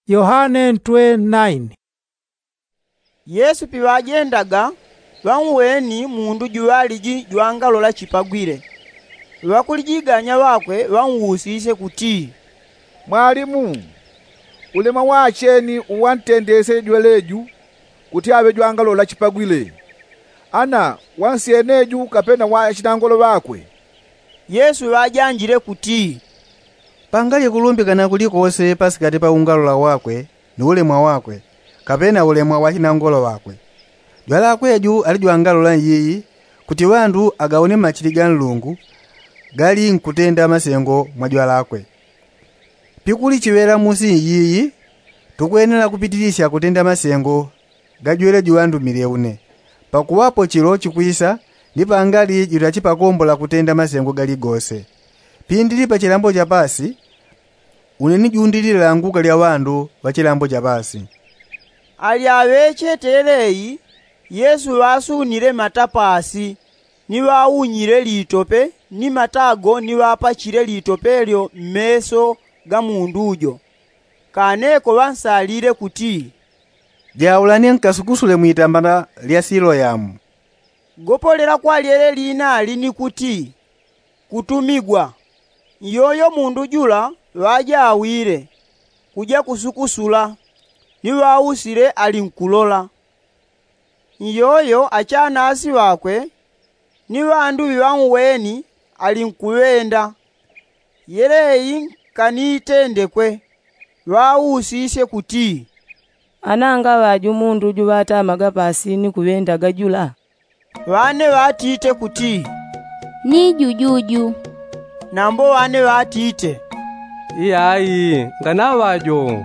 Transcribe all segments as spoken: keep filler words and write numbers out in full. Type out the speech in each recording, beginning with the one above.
Yohane ntwe naini. Yesu piŵajendaga, ŵanweni mundu juŵaliji jwangalola chipagwile. Ŵakulijiganya ŵakwe ŵanwusisye kuti, mwalimu, ulemwa wacheni uwantendesye jweleju kuti aŵe jwangalola chipagwile, ana wansyeneju kapena wachinangolo ŵakwe? Yesu ŵajanjile kuti, pangali kulumbikana kulikose pasikati pa ungalola wakwe ni ulemwa wakwe, kapena ulemwa wa chinangolo ŵakwe. Jwalakwe ju ali jwangalola nyiyi, kuti ŵandu agawone machili ga nlungu gali nkutenda masengo mwa jwalakwe. Pikuli chiŵela musi nyiyi, tukwenela kupitilisya kutenda masengo ga jweleju ŵandumile une. Pakuŵapo chilo chikwisa, ni pangali jutachipakombola kutenda masengo galigose. Pindili pa chilambo cha pasi, une ni jundilile languka lya ŵandu ŵa chilambo cha pasi. Ali aŵechete yeleyi, yesu ŵasunile mata pasi, ni ŵaunyile litope ni matago ni ŵapachile litope lyo mmeso ga mundu jo. Kaneko ŵansalile kuti, jaulani nkasukusule mwitambala lya siloyamu. Gopolela kwa lyele linali ni kuti, kutumigwa. Nyoyo mundu jula ŵajawile, kuja kusukusula, ni ŵausile ali nkulola. Nyoyo achanasi ŵakwe ni ŵandu ŵiŵauweni ali nkuŵenda. Yeleyi nkaniitendekwe. Ŵausisye kuti, ananga ŵaju mundu juŵatamaga pasi ni kuŵendaga jula? Ŵane ŵatite kuti, ni jujuju. Nambo ŵane ŵatite, iyai, nganaŵa jo.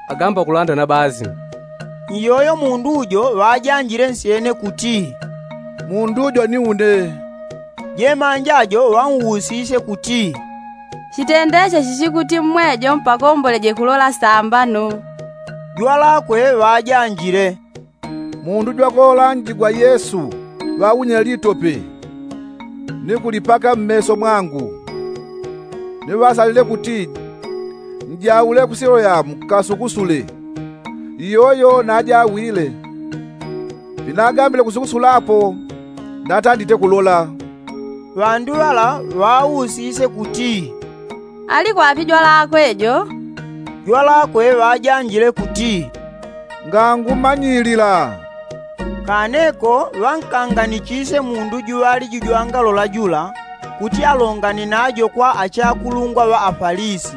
Agamba kulanda na basi. Iyoyo mundu jo ŵajanjile nsyene kuti, mundu jo ni une. Jemanja jo ŵausisye kuti, chitendesye chichi kuti mmwejo mpakomboleje kulola sambano? Jwalakwe ŵajanjile, mundu jwakolanjigwa yesu ŵaunyile litope, ni kulipaka mmeso mwangu. Ni ŵasalile kuti, njaule ku siloyamu nkasukusule. Iyoyo najawile. Pinagambile kusukusulapo, natandite kulola. Ŵandu ŵala ŵausisye kuti, ali kwapi jwalakwe jo? Jwalakwe ŵajanjile kuti, ngangumanyilila. Kaneko ŵankanganichisye mundu juŵaliji jwangalola jula, kuti alongane najo kwa achakulungwa ŵa afalisi.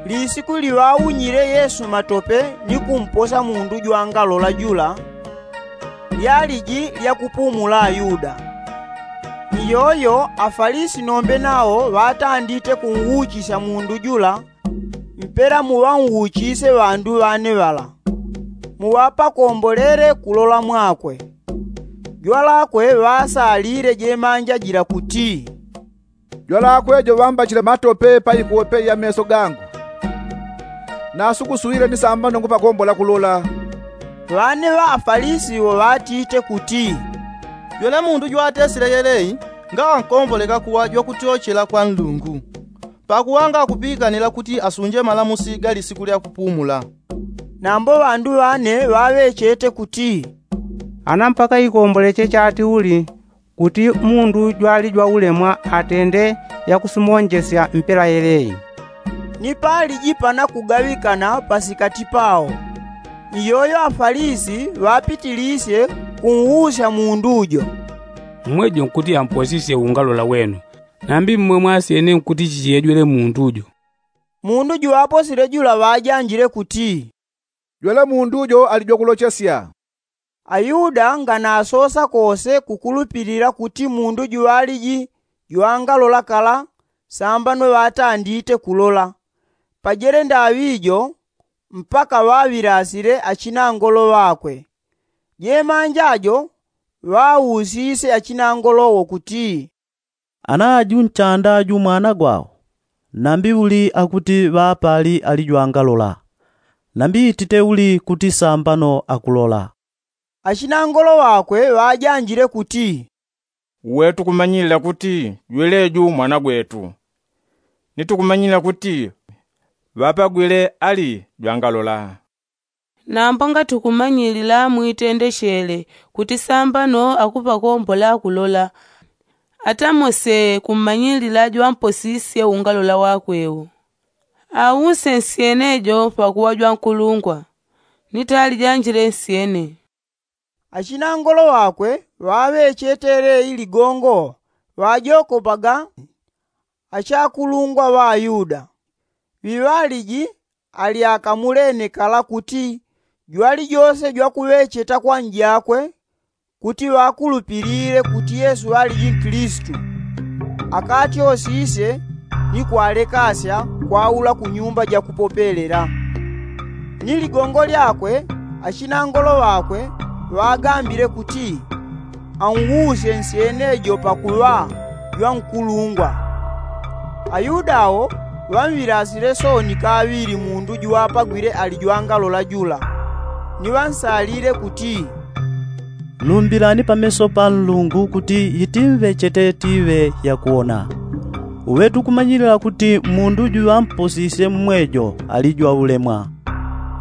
Lisiku liŵaunyile yesu matope ni kumposa mundu jwangalola jula, lyaliji lyakupumula ayuda. Iyoyo afalisi nombe nawo ŵatandite kunwuchisya mundu jula, mpela muŵanwuchisye ŵandu ŵane ŵala, muŵapakombolele kulola mwakwe. Jwalakwe ŵasalile jemanja jila kuti, jwalakwe jo ŵambachile matope pa ikope ya meso gangu, nasukusulile ni sambano ngupakombola kulola. Ŵane ŵa afalisi wo ŵatite kuti, jwele mundu jwatesile yeleyi ngaŵankomboleka kuŵa jwakutyochela kwa nlungu, pakuŵa ngakupikanila kuti asunje malamusi ga lisiku lya kupumula. Nambo ŵandu ŵane ŵaŵechete kuti, ana mpaka ikomboleche chati uli kuti mundu jwali jwaulemwa atende yakusumonjesya mpela yeleyi? Ni paliji panakugaŵikana pasikati pawo. Iyoyo afalisi ŵapitilisye kunwusya mundu jo, mmwe jo nkuti amposisye ungalola wenu, nambi mmwe mwasyene nkuti chichiyejwele mundu jo? Mundu juŵaposile jula ŵajanjile kuti, jwele mundu jo ali jwakulochesya. Ayuda nganasosa kose kukulupilila kuti mundu juŵaliji jwangalola kala sambano ŵatandite kulola. Pajele ndaŵi jo, mpaka ŵaŵilasile achinangolo ŵakwe. Jemanja jo ŵausisye achinangolo wo kuti, ana aju nchanda aju mwana gwawo? Nambi uli akuti ŵapali ali jwangalola? Nambi itite uli kuti sambano akulola? Achinangolo ŵakwe ŵajanjile kuti, uwe tukumanyilila kuti jweleju mwana gwetu, ni tukumanyilila kuti ŵapagwile ali jwangalola. Nambo ngati ukumanyilila mwitendechele kuti sambano akupakombola kulola, atamose kummanyilila jwamposisye ungalola wakwe u. Ause nsyene jo pakuŵa jwankulungwa, ni talijanjile nsyene. Achinangolo ŵakwe ŵaŵechete leyi ligongo ŵajokopaga achakulungwa ŵa ayuda. Ŵiŵaliji ali akamulene kala kuti jwalijose jwakuŵecheta kwa njakwe kuti ŵakulupilile kuti yesu ŵaliji nkilisitu, akatyosisye ni kwalekasya kwaula ku nyumba jakupopelela. Ni ligongo lyakwe achinangolo ŵakwe ŵagambile kuti, anwusye nsyene jo pakuŵa jwankulungwa. Ayuda awo ŵanŵilasile sooni kaŵili mundu juŵapagwile ali jwangalola jula, ni ŵansalile kuti, lumbilani pameso pa nlungu kuti yitimŵechete tiŵe yakuwona. Uŵe tukumanyilila kuti mundu juŵamposisye mmwejo ali jwaulemwa.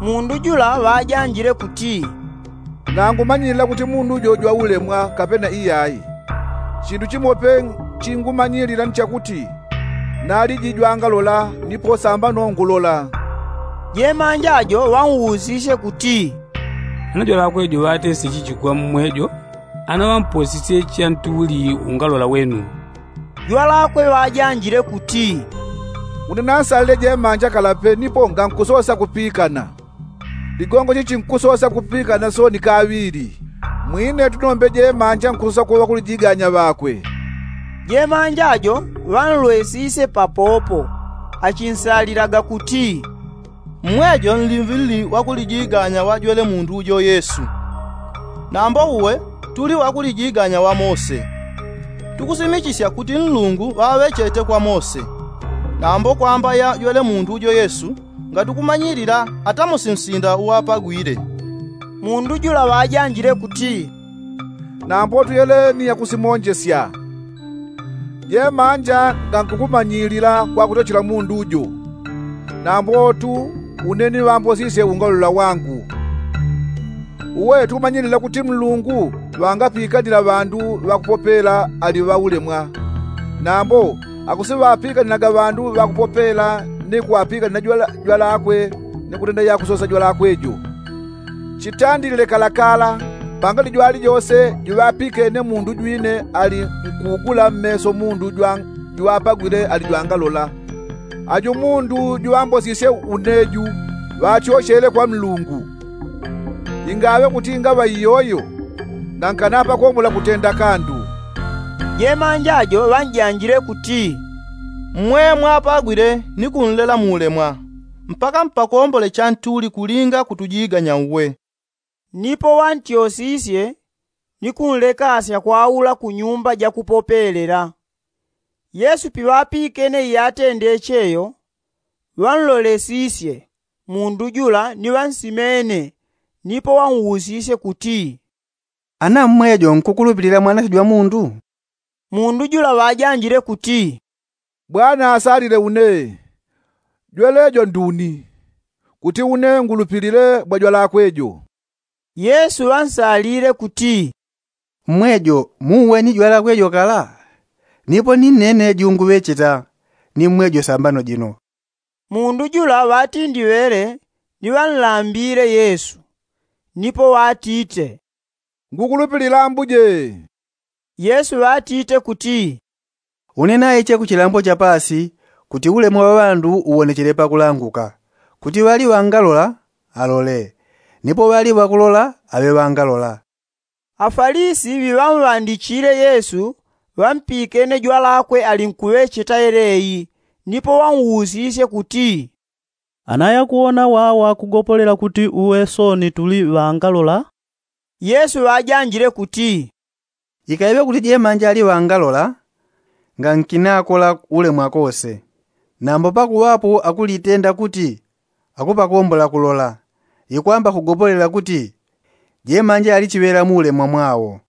Mundu jula ŵajanjile kuti, nangumanyilila kuti mundu jo jwaulemwa kapena iyayi. Chindu chimope chingumanyilila ni chakuti naliji jwangalola nipo sambano ngulola. Jemanja jo ŵanwusisye kuti, ana jwalakwe jo ŵatesye chichi kwa mmwejo? Ana ŵamposisye chantuli ungalola wenu? Jwalakwe ŵajanjile kuti, une nansalile jemanja kalape nipo ngankusosa kupikana. Ligongo chichi nkusosa kupikana sooni kaŵili. Mwine tunombe jemanja nkusosa kuŵa ŵakulijiganya ŵakwe. Jemanja jo ŵanlwesisye papopo achinsalilaga kuti, mmwejo nlimŵilili ŵakulijiganya ŵa jwele mundu jo yesu. Nambo uwe tuli ŵakulijiganya ŵa mose. Tukusimichisya kuti nlungu ŵaŵechete kwa mose. Nambo kwamba ya jwele mundu jo yesu ngatukumanyilila atamosi nsinda uŵapagwile. Mundu jula ŵajanjile kuti, nambo tuyeleni yakusimonjesya. Jemanja ngankukumanyilila kwakutochela mundu jo. Nambotu une ni ŵambosisye ungalola wangu. Uwe tukumanyilila kuti mlungu ŵangapikanila ŵandu ŵakupopela ali ŵaulemwa. Nambo akusiŵapikanilaga ŵandu ŵakupopela ni kuŵapikanila jwalakwe ni kutenda yakusosa jwalakwe jo. Chitandilile kalakala pangali jwalijose juŵapikene mundu jwine ali nkugula mmeso mundu juŵapagwile ali jwangalola. Aju mundu juŵambosisye une ju ŵatyochele kwa nlungu. Ingaŵe kuti ingaŵa iyoyo ngankanapakombola kutenda kandu. Jemanja jo ŵanjanjile kuti, mmwe mwapagwile ni kunlela muulemwa mpaka mpakombole chantuli kulinga kutujiganya uwe. Nipo ŵantyosisye ni kunlekasya kwaula ku nyumba jakupopelela. Yesu piŵapikene iyatendeche yo ŵanlolesisye mundu jula ni ŵansimene. Nipo ŵanwusisye kuti, ana mmwejo nkukulupilila mwanache jwa mundu? Mundu jula ŵajanjile kuti, bwana asalile une. Jwelejo nduni kuti une ngulupilile bwa jwalakwe jo. Yesu ŵansalile kuti, mmwejo muuweni jwalakwe jo kala? Nipo ni nene junguŵecheta ni mmwejo sambano jino. Mundu jula ŵatindiŵele ni ŵanlambile yesu. Nipo ŵatite, ngukulupilila ambuje. Yesu ŵatite kuti, une naiche ku chilambo cha paasi kuti ulemwa wa ŵandu uwonechele pakulanguka, kuti ŵali ŵangalola alole, nipo ŵali ŵakulola aŵe ŵangalola. Afalisi ŵiŵamŵandichile yesu ŵampikene jwalakwe ali nkuŵecheta yeleyi. Nipo ŵanwusisye kuti, ana yakuwona wawa kugopolela kuti uwe sooni tuli ŵangalola? Yesu ŵajanjile kuti, ikaiŵe kuti jemanja ali ŵangalola ngankinakola ulemwa kose. Nambo pakuŵapo akulitenda kuti akupakombola kulola, ikwamba kugopolela kuti jemanja ali chiŵela muulemwa mwawo.